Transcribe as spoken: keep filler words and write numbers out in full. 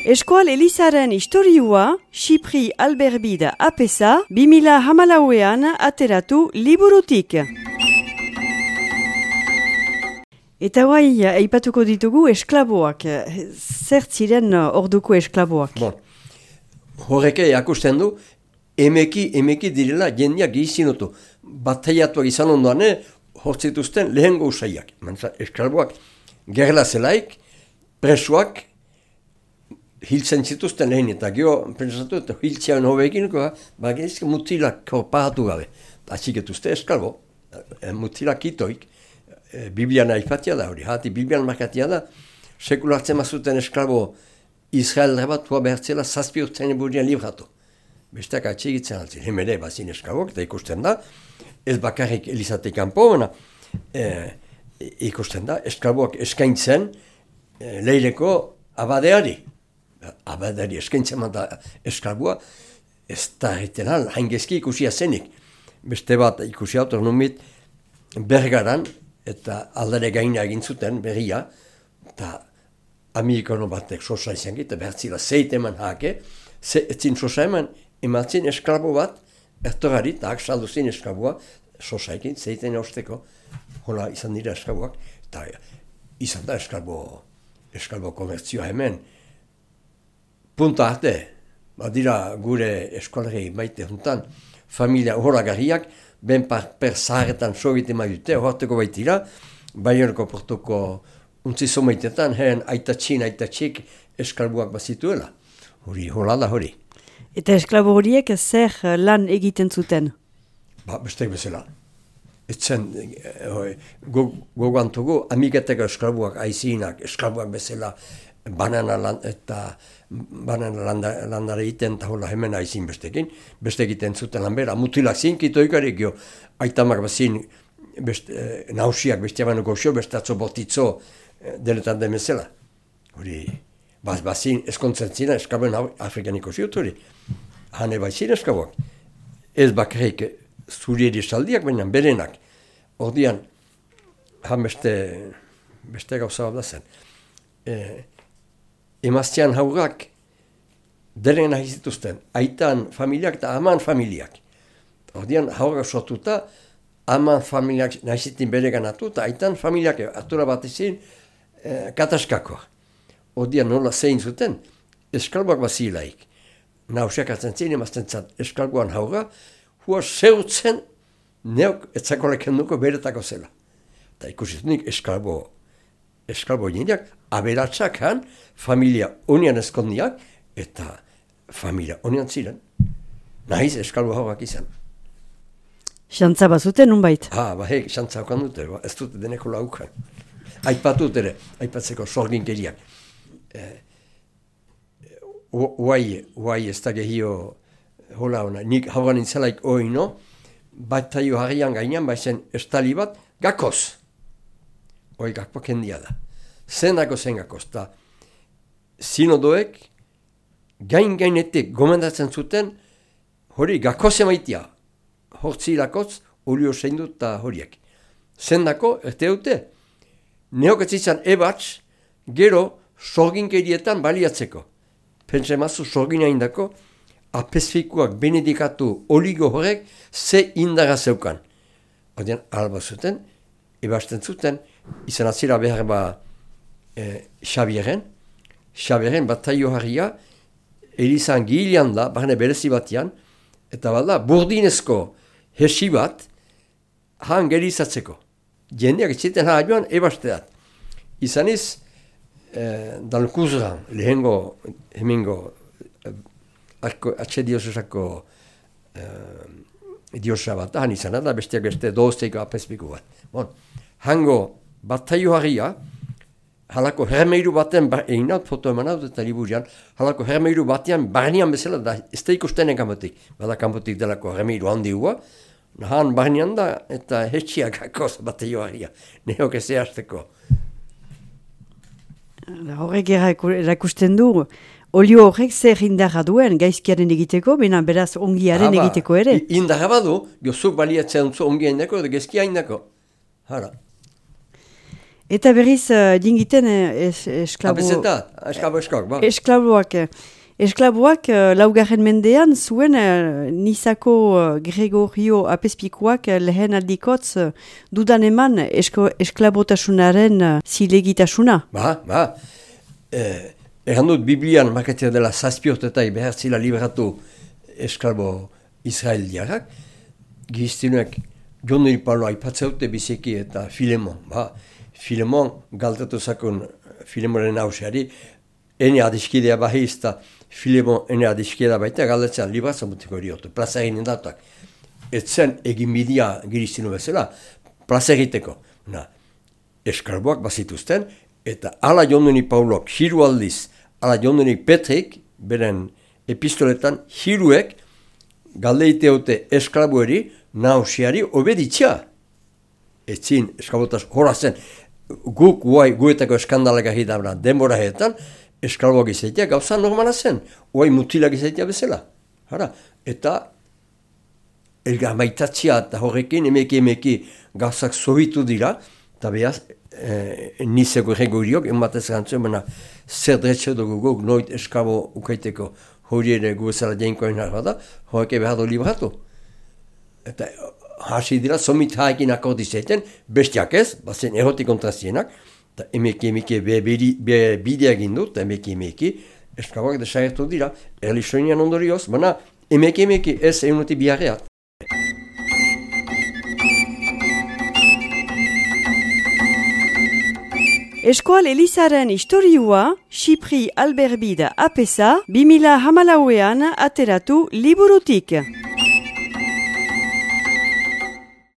Eskual Elizaren historiua, Xipri Alberbida apesa, bimila hamalauean ateratu liburutik. Eta guai, aipatuko ditugu esklaboak. Zer ziren orduko esklaboak? Bon. Horreke akusten du, emeki, emeki direla jendeak gizinotu. Bataiatuak izan ondoan, hortzituzten lehengo usaiak. Esklaboak gerla zelaik, presuak hiltzen zituzten lehen, eta gero, pentsatu, eta hiltzean hobeekineko, bagizke mutilak pahatu gabe. Atxiketuzte esklabo, mutilak itoik, Biblian aipatia da hori, hati Biblian markatia da, sekulartzen mazuten esklabo Israel bat hua behartzela zazpi urtean eburdian libratu. Besteak atxigitzen altzin, hemere bazin esklabok, eta ikusten da, ez bakarrik Elizatik kanpo, e, ikusten da, esklaboak eskaintzen e, leireko abadeari. Abadeari eskaintzen da esklaboa, ez da erretenan haingezki ikusia zenik. Beste bat ikusi autor numit Bergaran, eta aldare gaina egin zuten berria, eta amerikano batek sosa izan gita, behartzila zeit eman hake, ze, etzin sosa eman, ematzin esklabo bat, ertorari, eta aksaldu zin esklaboa, sosa ekin, zeiten eusteko, hola izan dira esklaboak, eta izan da esklabo, esklabo komertzioa hemen. Punta arte, badira gure eskolari maite juntan, familia horagarriak, ben par, per zaharretan sogite maidute, horreteko baitira, Baioneko portoko untzizo maitetan, heren aitatxin, aitatxik eskalbuak bazituela. Hori, hola da hori. Eta esklabo horiek zer lan egiten zuten? Ba, bestek bezala. Etzen, gogoantugu, amiketeko eskalbuak aizinak, eskalbuak bezala, banana land, eta banana landare iten, eta hola hemen aizin bestekin, beste egiten zuten lan bera, mutilak zinkito ikarik jo, aitamak bazin, beste, eh, nausiak beste abano goxo, beste atzo botitzo eh, denetan demezela. Hori, baz, bazin eskontzen zina, eskaben afrikaniko ziut hori, hane baizin eskaboak. Ez bakarrik zurieri saldiak, baina berenak. Ordian, han beste, beste gauza bat da zen. Eh, Emaztean haurrak deren nahi zituzten, aitan familiak eta aman familiak. Ordian haurrak sortuta, aman familiak nahi zitin bere ganatu, eta aitan familiak atura bat izin eh, kataskakoa. Ordian nola zein zuten, eskalboak bazilaik. Nausiak atzen zin, emazten zat eskalboan haurra, hua zeutzen neok etzakoleken duko beretako zela. Eta ikusizunik eskalbo eskalbo jendeak, aberatsak han, familia onian eskondiak, eta familia onian ziren. Nahiz eskalbo hauak izan. Xantza bazuten, unbait? Ha, ba, hek, xantza haukan dute, ba, ez dute deneko laukan. Aipatut ere, aipatzeko sorginkeriak. Eh, Uai, uai ez da gehio, hola hona, nik hauan intzelaik oino, bat taio harrian gainean, baizen estali bat, gakoz. Hoi gakpo kendia da. Zenako zen gakoz, eta sinodoek gain-gainetik gomendatzen zuten hori gakoz emaitia. Hortzi lakotz, olio zein dut eta horiek. Zendako, erte dute, neoketzizan ebatz, gero sorginkerietan baliatzeko. Pentsa emazu sorgina indako, apezfikuak benedikatu oligo horrek ze indara zeukan. Odean, alba zuten, ebasten zuten, izan atzira behar ba e, Xabieren, Xabieren bat taio harria, Elizan gilean da, barne berezi batian, eta bada, burdinezko hesi bat, han gerizatzeko. Jendeak etziten haa joan, ebasteat. Izan iz, e, dalkuzra, lehengo, hemengo, e, atxe diosesako e, diosa bat, han izan da, besteak beste dozteiko apezpiku bat. Bon. Hango bat taio harria, halako hermeiru baten, egin haut foto eman haut eta liburian, halako hermeiru batean barnean bezala, da ez da ikusten kanpotik, bada kanpotik delako hermeiru handi hua, han barnean da eta hetxiak gakoz bat taio harria, neok ez ehazteko. Horrek erakusten du, olio horrek zer indarra duen gaizkiaren egiteko, bena beraz ongiaren Haba, egiteko ere. Indarra badu, gozuk baliatzen zu ongiaren dako edo gaizkia indako. Hala. Eta berriz, uh, dingiten uh, es, esklabo... Abezetat, esklabo eskak, ba. Esklaboak. Esklaboak uh, laugarren mendean zuen uh, Nizako uh, Gregorio Apezpikuak uh, lehen aldikotz uh, dudan eman esko, esklabotasunaren uh, zilegitasuna. Ba, ba. Eh, Egan dut, Biblian markatzea dela zazpiortetai behar zila liberatu esklabo israeliarak. Giztinuek Joneri Paulo aipatzeute biziki eta Filemon. Ba. Filemon galtatu zakun Filemonen hauseari, ene adiskidea bahiz eta Filemon ene adiskidea baita galdetzen libratzen mutiko eriotu, plaza egin indatuak. Etzen egin bidia giristinu bezala, plaza egiteko. Na, eskarboak bazituzten, eta ala Joneri Paulok hiru aldiz, ala Joneri Petrik, beren epistoletan, hiruek galdeiteute esklaboeri, nausiari obeditzia. Etzin esklabotaz horra zen, guk guai guetako eskandalak ahidabra denbora heetan, esklaboak izaitea gauza normala zen, guai mutilak izaitea bezala. Hara, eta elgar maitatzia eta horrekin emeki emeki gauzak zohitu dira, eta behaz, eh, nizeko erregoriok, enbatez gantzuen, baina zer dretxe dugu guk noit esklabo ukaiteko hori ere gu ezala jainkoen harra da, horreke behar du libratu. Eta hasi dira, somit haekin akordizeiten, bestiak ez, bazen errotik kontrazienak, eta emeki emeki be, be, bidea gindu, eta emeki emeki, esklaboak desagertu dira, erlisoinian ondorioz, baina emeki emeki ez egunuti biharreat. Eskual Elizaren historiua, Xipri Alberbida apesa, bi mila hamalauean ateratu liburutik.